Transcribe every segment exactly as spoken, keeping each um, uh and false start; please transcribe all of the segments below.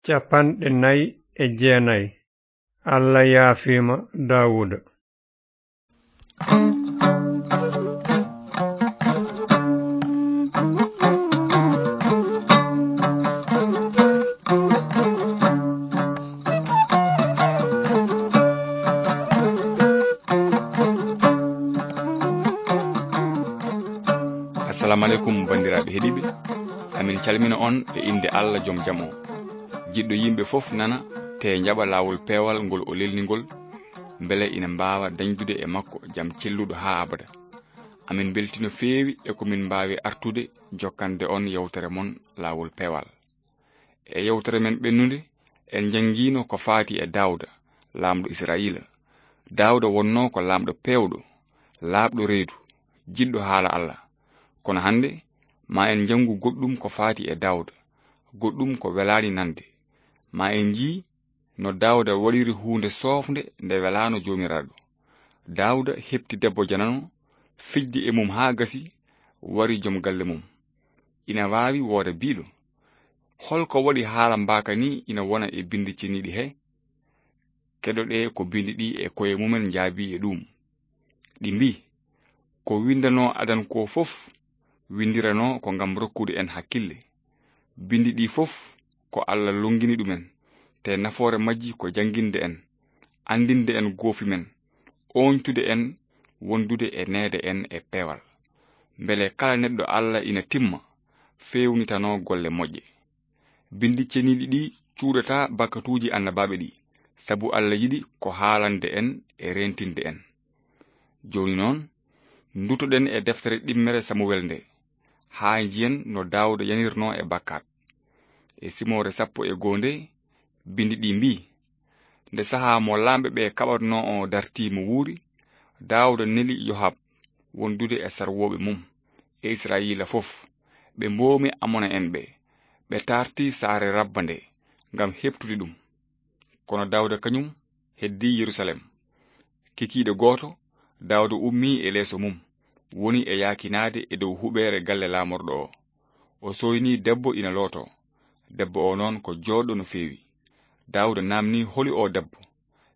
capanɗe nayi e jeenayi. Alla yaafiima Daawuda. Assalamu aleykum, banndiraaɓe heɗiiɓe. Amin calmina on e innde Alla Jom Jam o. Jiɗɗo yimɓe fof nana, te njaɓa laawol peewal ngol o lelni ngol, mbele ina mbaawa dañdude e makko jam celluɗo haa abada. Amin mbeltii no feewi e ko min mbaawi artude jokkande on yewtere mon Laawol Peewal. E yewtere men ɓennunde, en njanngiino ko faati e Daawda, laamɗo Israayiila. Daawda wonnoo ko laamɗo peewɗo, laaɓɗo reedu, jiɗɗo haala Alla. Kono hannde, ma en njanngu goɗɗum ko faati e Daawda, goɗɗum ko welaani nande. Ma en njii no Daawda waɗiri huunde soofnde nde welaano Joomiraaɗo. Daawda heɓti debbo janano, fijdi e mum haa gasi, wari jom galle mum. Ina waawi wooda biiɗo, "Hol ko waɗi haala mbaaka nii ina wona e binndi ceniiɗi he?" Keɗoɗee ko binndi ɗi e koye mumen njaabii e ɗuum. Ɗi mbii, "Ko winndanoo adan ko fof, winndiranoo ko ngam rokkude en hakkille. Binndi ɗi fof ko Alla lonngini ɗumen, te nafoore majji ko jannginde en, anndinde en goofi men, ooñtude en, wondude e neede en e peewal. Mbele kala neɗɗo Alla ina timma, feewnitanoo golle moƴƴe." Binndi ceniiɗi ɗi cuuɗataa bakkatuuji annabaaɓe ɗi, sabu Alla yiɗi ko haalande en e reentinde en. Jooni noon, ndutoɗen e deftere ɗimmere Samuwel nde, haa njiyen no Daawda yanirnoo e bakkaat. E simoore sappo e goo nde, binndi ɗi mbii, nde sahaa mo laamɓe ɓe kaɓatnoo o dartii mo wuuri, Daawda neli Yohab wondude e sarwooɓe mum e Israayiila fof, ɓe mboomi Amona'en ɓe, ɓe taarti saare Rabba nde ngam heɓtude ɗum. Kono Daawda kañum heddii Yerusaalem. Kikiiɗe gooto, Daawda ummii e leeso mum, woni e yaakinaade e dow huɓeere galle laamorɗo o. O sooynii debbo ina lootoo. Debbo o noon ko jooɗɗo no feewi. Daawda naamnii, "Holi o debbo?"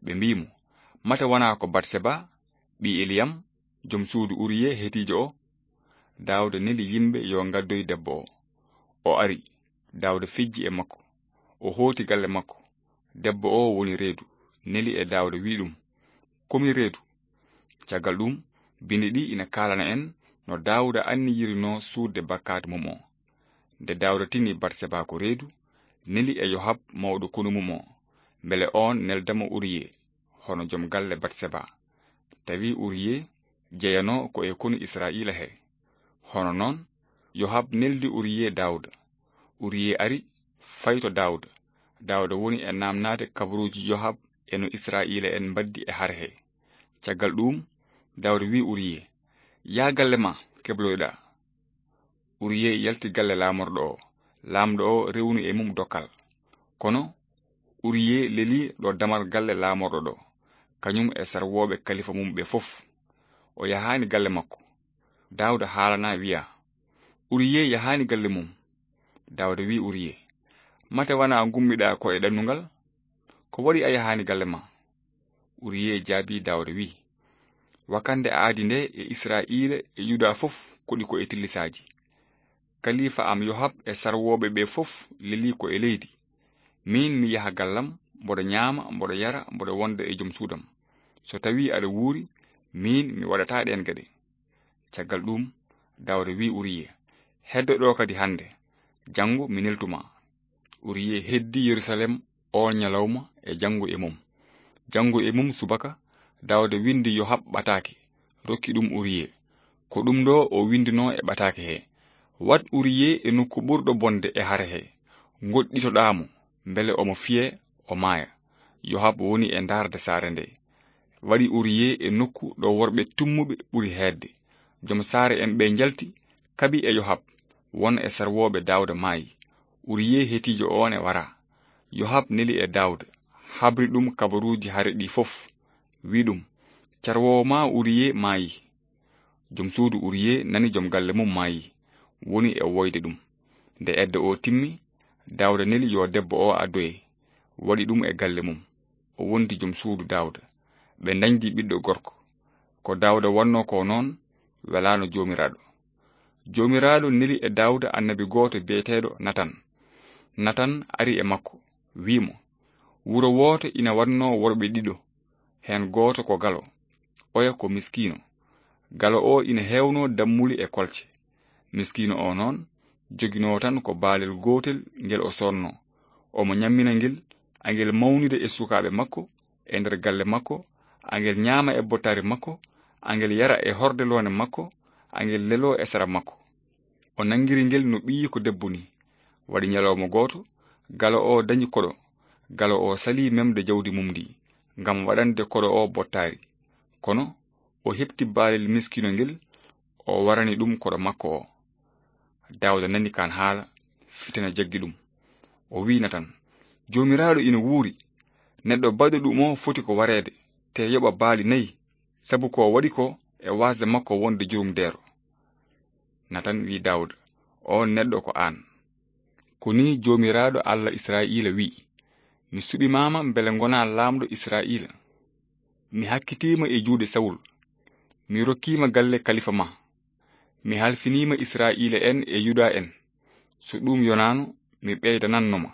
Ɓe mbii mo, "Mate wonaa ko Batseba, ɓii Eliyam, jom suudu Uriye Hetiijo o?" Daawda neli yimɓe yo ngaddoy debbo o. O ari, Daawda fijji e makko. O hooti galle makko. Debbo o woni reedu, neli e Daawda, wii ɗum, "Ko mi reedu?" Caggal ɗum, binndi ɗi ina kaalana en no Daawda anniyirinoo suuɗde bakkaatu mum o. Nde Daawda tini Batseba ko reedu, neli e Yohab mawɗo konu mum o, mbele oon nelda mo Uriye, hono jom galle Batseba. Tawi Uriye jeyanoo ko e konu Israayiila he. Hono noon, Yohab neldi Uriye Daawda. Uriye ari, fayi to Daawda. Daawda woni e naamnaade kabaruuji Yohab e no Israayiila'en mbaddi e hare he. Caggal ɗuum, Daawda wii Uriye, "Yaa galle ma, kebloyɗaa." Uriye yalti galle laamorɗo o. Laamɗo o rewni e mum dokkal. Kono Uriye leli ɗo damal galle laamorɗo ɗo, kañum e sarwooɓe kalifa mum ɓe fof. O yahaani galle makko. Daawda haalanaa, wiya, "Uriye yahaani galle mum." Daawda wii Uriye, "Mate wonaa ngummiɗaa ko e ɗannungal? Ko waɗi a yahaani galle ma?" Uriye jaabii Daawda, wii, "Wakannde aadi nde e Israayiila e Yuda fof koɗi ko e tillisaaji. Kalifa am Yohab e sarwooɓe ɓe fof leli ko e leydi. Miin mi yaha gallam, mboɗo ñaama, mboɗo yara, mboɗo wonda e jom suudam. So tawii aɗa wuuri, miin mi waɗataa ɗeen geɗe." Caggal ɗuum, Daawda wii Uriye, "Heddo ɗo kadi hannde, janngo mi neltu ma." Uriye heddi Yerusalem oon ñalawma e janngo e mum. Janngo e mum subaka, Daawda winndi Yohab ɓataake, rokki ɗum Uriye. Ko ɗum ɗo o winndunoo e ɓataake he, "Waɗ Uriye e nokku ɓurɗo bonde e hare he, ngoɗɗitoɗaa mo, mbele omo fiye, o maaya." Yohab woni e ndaarde saare nde. Waɗi Uriye e nokku ɗo worɓe tummuɓe ɓuri heedde. Jom saare en ɓe njalti, kaɓi e Yohab, won e sarwooɓe Daawda maayi. Uriye hetiijo oon e wara. Yohab neli e Daawda, habri ɗum kabaruuji hare ɗi fof, wi ɗum, "Carwoowo ma Uriye maayi." Jom suudu Uriye nani jom galle mum maayi, woni e woyde ɗum. Nde edda o timmi, Daawda neli yo debbo o addoye. Waɗi ɗum e galle mum. O wondi jom suudu Daawda. Ɓe ndañdi ɓiɗɗo gorko. Ko Daawda wannoo ko noon, welaano Joomiraaɗo. Joomiraaɗo neli e Daawda annabi gooto biyeteeɗo Natan. Natan ari e makko, wii mo, "Wuro wooto ina waɗnoo worɓe ɗiɗo, heen gooto ko galo, oya ko miskiino. Galo o ina heewnoo dammuli e kolce. Miskiino o noon, joginoo tan ko baalel gootel ngel o soodnoo. Omo ñammina ngel, angel mawnida e sukaaɓe makko, e nder galle makko, angel ñaama e bottaari makko, angel yara e horde loone makko, angel leloo e sara makko." O nanngiri ngel no ɓiyiiko debbo ni. Waɗi ñalawma gooto, galo o dañi koɗo. Galo o salii memde jawdi mum ndi, ngam waɗande koɗo o bottaari. Kono o heɓti baalel miskiino ngel, o warani ɗum koɗo makko o. Daawda nani kaan haala, fitina jaggi ɗum. O wi'i Natan, "Joomiraaɗo ina wuuri! Neɗɗo baɗɗo ɗum o foti ko wareede, te yoɓa baali nayi, sabu ko waɗi ko e waasde makko wonde jurumdeero." Natan wi'i Daawda, "Oon neɗɗo ko aan. Ko nii Joomiraaɗo Allah Israa'iila wi'i, 'Mi suɓimaama mbele ngonaa laamɗo Israa'iila. Mi hakkitiima e juuɗe Sawul. Mi rokkiima galle kalifa ma. Mi halfiniima Israa'iila en e Yuda en. So ɗum yonaano, mi ɓeydananno ma.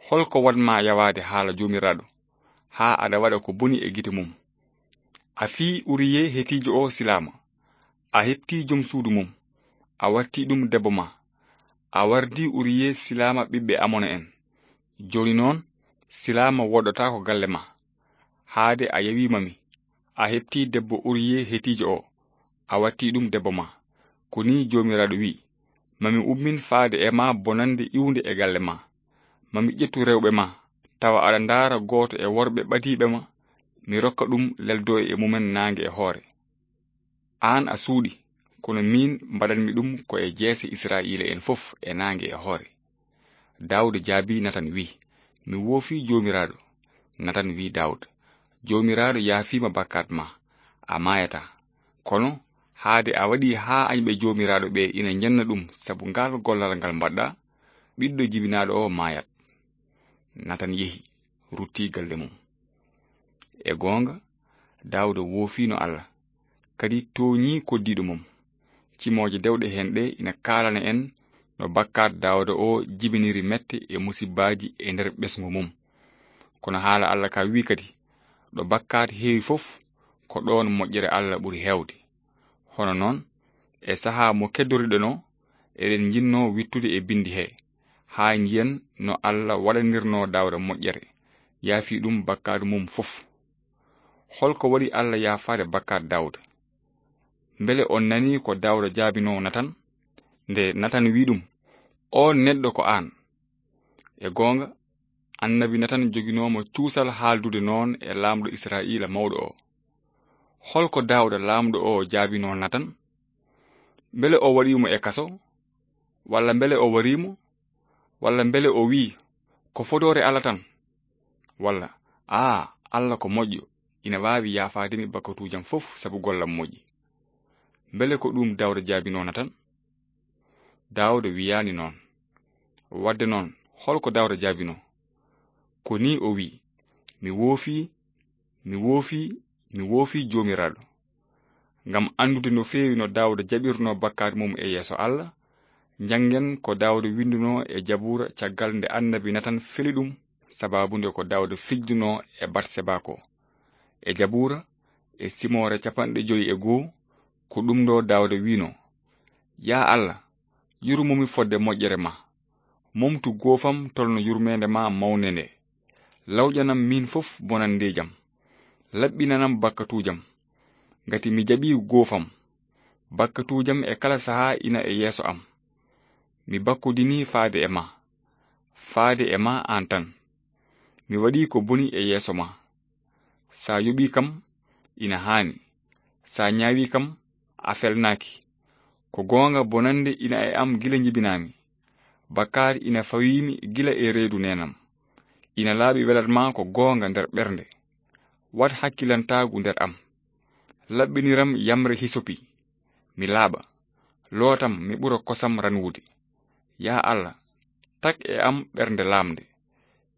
Holko waɗ ma yawaade haala Joomiraaɗo, haa aɗa waɗa ko boni e gite mum? A fii Uriye Hetiijo o silaama. A heɓtii jom suudu mum. A wattii ɗum debbo ma. A wardii Uriye silaama ɓiɓɓe Amona en. Jooni noon, silaama woɗɗotaako galle ma. Haade a yawiima mi, a heɓtii debbo Uriye Hetiijo o, a wattii ɗum debbo ma. Ko nii Joomiraaɗo wi'i, 'Mami ummin faade e ma bonannde iwnde e galle ma. Mami ƴettu rewɓe ma, tawa aɗa ndaara gooto e worɓe ɓadiiɓe ma, mi rokka ɗum leldoye e mumen naange e hoore.' Aan a suuɗi, kono miin mbaɗanmi ɗum ko e jeese Israa'iila en fof e naange e hoore." Daawda jaabii Natan, wi'i, "Mi woofii Joomiraaɗo." Natan wi'i Daawda, "Joomiraaɗo yaafiima bakkaat ma, a maayataa. Kono haade a waɗii haa añɓe Joomiraaɗo ɓe ina njenna ɗum sabu ngaal gollal ngal mbaɗɗaa, ɓiɗɗo jibinaaɗo o maayat." Natan yehi, ruttii galle mum. E goonga, Daawda woofiino Allah, kadi tooñii koddiiɗo mum. Cimooje dewɗe heen ɗe ina kaalana en no bakkaat Daawda o jibiniri mette e musibbaaji e nder ɓesngu mum. Kono haala Allah ka wi'i kadi, "Ɗo bakkaat heewi fof, ko ɗoon moƴƴere Allah ɓuri heewde." Hono noon, e sahaa mo keddoriɗenoo, eɗen njinnoo wittude e binndi hee, haa njiyen no Allah waɗanirnoo Daawda moƴƴere, yaafi ɗum bakkaatu mum fof. Holko waɗi Allah yaafaade bakkaat Daawda? Mbele on nanii ko Daawda jaabinoo Natan? Nde Natan wi'i ɗum, "Oon neɗɗo ko aan." E goonga, annabi Natan joginoomo cuusal haaldude noon e laamɗo Israa'iila mawɗo o. Holko Daawda laamɗo o jaabinoo Natan? Mbele o waɗii mo e kaso? Walla mbele o warii mo? Walla mbele o wi'i, "Ko fodoore Allah tan"? Walla, "Aa, Allah ko moƴƴo, ina waawi yaafaade mi bakkatuujam fof sabu gollam moƴƴi"? Mbele ko ɗum Daawda jaabinoo Natan? Daawda wiyaani noon. Waɗde noon, holko Daawda jaabinoo? Ko nii o wi'i, "Mi woofii, mi woofii, mi woofii Joomiraaɗo." Ngam anndude no feewi no Daawda jaɓirnoo bakkaat mum e yeeso Allah, njanngen ko Daawda winndunoo e Jabuura caggal nde annabi Natan feli ɗum, sabaabu nde ko Daawda fijjunoo e Batseba ko. E Jabuura, e simoore capanɗe joyi e goo, ko ɗum ɗo Daawda wi'noo, "Yaa Allah, yurmomi fodde moƴƴere ma. Momtu goofam tolno yurmeende ma mawnde nde. Lawƴanam miin fof bonanndeejam. Laɓɓinanam bakkatuujam. Ngati mi jaɓii goofam. Bakkatuujam e kala sahaa ina e yeeso am. Mi bakkodinii faade e ma. Faade e ma aan tan. Mi waɗii ko boni e yeeso ma. Sa yoɓii kam, ina haani. Sa ñaawii kam, a felnaaki. Ko goonga bonannde ina e am gila njibinaami. Bakkaat ina fawiimi gila e reedu neenam. Ina laaɓi welat ma ko goonga nder ɓernde. Waɗ hakkilantaagu nder am. Laɓɓiniram yamre hisopi. Mi laaɓa. Lootam, mi ɓura kosam ranwude. Yaa Allah, Tag e am ɓernde laamnde.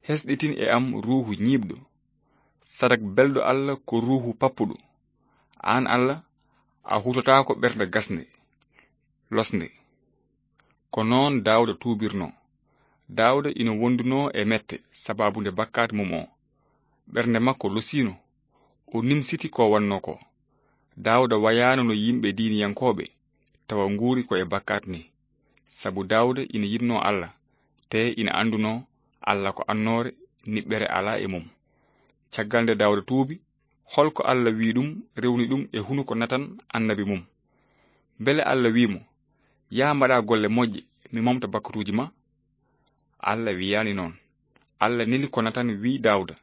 Hesɗitin e am ruuhu ñiiɓɗo. Sadak belɗo Allah ko ruuhu pappuɗo. Aan Allah, a hutotaako ɓernde gasnde, losnde. Ko noon Daawda tuubirnoo. Daawda ina wondunoo e mette sabaabu nde bakkaat mum o. Ɓernde makko losiino, o nimsiti ko wannoo ko. Daawda wayaano no yimɓe diiniyankooɓe, tawa nguuri ko e bakkaat ni. Sabu Daawda ina yiɗnoo Allah, te ina anndunoo Allah ko annoore, niɓɓere alaa e mum. Caggal nde Daawda tuubi, hol ko Allah wi'i ɗum, rewni ɗum e hunuko Natan annabi mum? Mbele Allah wi'i mo, "Yaa mbaɗa golle moƴƴe, mi momta bakkatuuji ma"? Allah wiyaani noon. Allah neli ko Natan wi'i Daawda,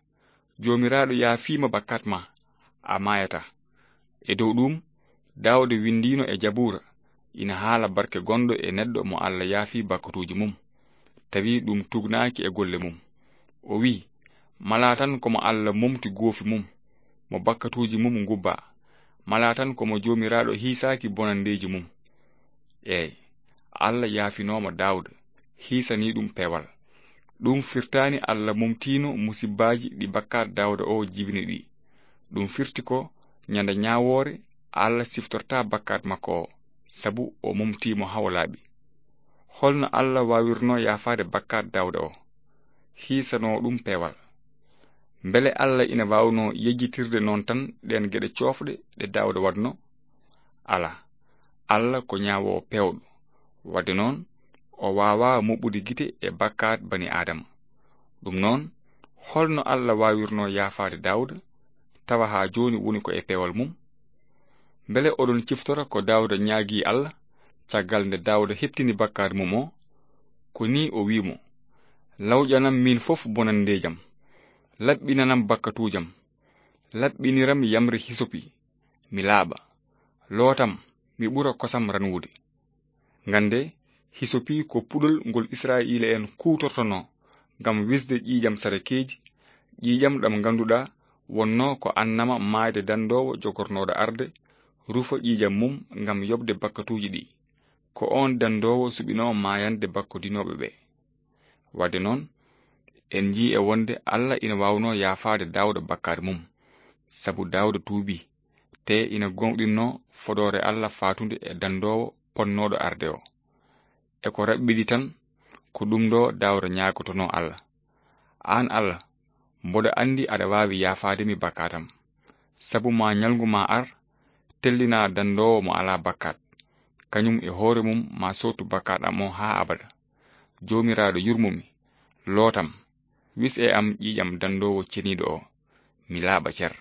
"Joomiraaɗo yaafii ma bakkaat ma, a maayataa." E dow ɗum, Daawda winndiino e Jabuura, ina haala barke gonɗo e neɗɗo mo Allah yaafii bakkatuuji mum, tawi ɗum tuugnaaki e golle mum. O wi'i, "Malaa tan ko mo Allah momti goofi mum, mo bakkatuuji mum ngubbaa. Malaa tan ko mo Joomiraaɗo hiisaaki bonanndeeji mum." Eey, Allah yaafinooma Daawda, hiisanii ɗum peewal. Ɗum firtaani Allah momtiino musibbaaji ɗi bakkaat Daawda o jibini ɗi. Ɗum firti ko ñande ñaawoore Allah siftortaa bakkaat makko o, sabu o momtii mo haa o laaɓi. Holno Allah waawirnoo yaafaade bakkaat Daawda o, hiisanoo ɗum peewal? Mbele Allah ina waawnoo yejjitirde noon tan ɗeen geɗe coofɗe ɗe Daawda waɗnoo? Alaa, Allah ko ñaawoowo peewɗo. Waɗde noon, o waawaa muɓɓude gite e bakkaat bani Aadama. Ɗum noon, holno Allah waawirnoo yaafaade Daawda, tawa haa jooni woni ko e peewal mum? Mbele oɗon ciftora ko Daawda ñaagii Allah, caggal nde Daawda heɓtini bakkaat mum o? Ko nii o wi'i mo, "Lawƴanam miin fof bonanndeejam, laɓɓinanam bakkatuujam, laɓɓiniram yamre hisopi, mi laaɓa, lootam, mi ɓura kosam ranwude." Ngannde, hisopi ko puɗol ngol Israa'iila'en kuutortonoo ngam wisde ƴiiƴam sadakeeji, ƴiiƴam ɗam ngannduɗaa wonnoo ko annama maayde danndoowo jogornooɗo arde, rufa ƴiiƴam mum ngam yoɓde bakkatuuji ɗi. Ko oon danndoowo suɓinoo maayande bakkodinooɓe ɓe. Waɗde noon, en njii e wonde Allah ina waawnoo yaafaade Daawda bakkaat mum, sabu Daawda tuubii, te ina gooŋɗinnoo fodoore Allah faatunde e danndoowo ponnooɗo arde o. E ko raɓɓiɗi tan, ko ɗum ɗo Daawda ñaagotonoo Allah, "Aan Allah, mboɗo anndi aɗa waawi yaafaade mi bakkaat am. Sabu ma ñalngu ma ar, tellina danndoowo mo alaa bakkaat, kañum e hoore mum ma sootu bakkaat am o haa abada. Joomiraaɗo, yurmo mi, lootam, wis e am ƴiiƴam danndoowo ceniiɗo o, mi laaɓa cer."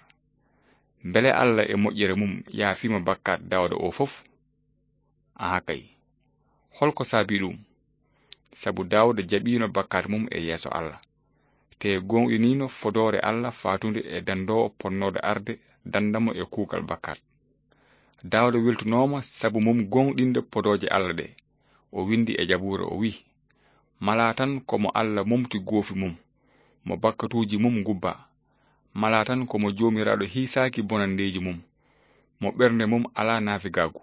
Mbele Allah e moƴƴere mum yaafiima bakkaat Daawda o fof? Aha kay. Hol ko saabii ɗum? Sabu Daawda jaɓiino bakkaat mum e yeeso Allah, te gooŋɗiniino fodoore Allah faatunde e danndoowo ponnooɗo arde dannda mo e kuugal bakkaat. Daawda weltunooma sabu mum gooŋɗinde podooje Allah ɗe. O winndi e Jabuura, o wi'i, "Malaa tan ko mo Allah momti goofi mum, mo bakkatuuji mum ngubbaa. Malaa tan ko mo Joomiraaɗo hiisaaki bonanndeeji mum, mo ɓernde mum alaa naafigaagu."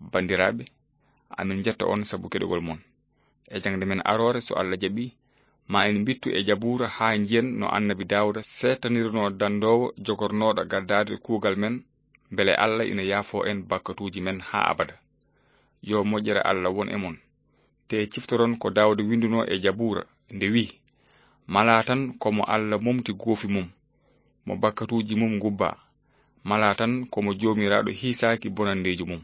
Banndiraaɓe, amin njetta on sabu keɗogol mon. E jaŋde men aroore, so Allah jaɓii, ma en mbittu e Jabuura haa njiyen no Annabi Daawda seettanirnoo danndoowo jogornooɗo gaddaade kuugal men, mbele Allah ina yaafoo en bakkatuuji men haa abada. Yo moƴƴere Allah won e mon. Te ciftoron ko Daawda winndunoo e Jabuura, nde wi'i, "Malaa tan ko mo Allah momti goofi mum, mo bakkatuuji mum ngubbaa. Malaa tan ko mo Joomiraaɗo hiisaaki bonanndeeji mum,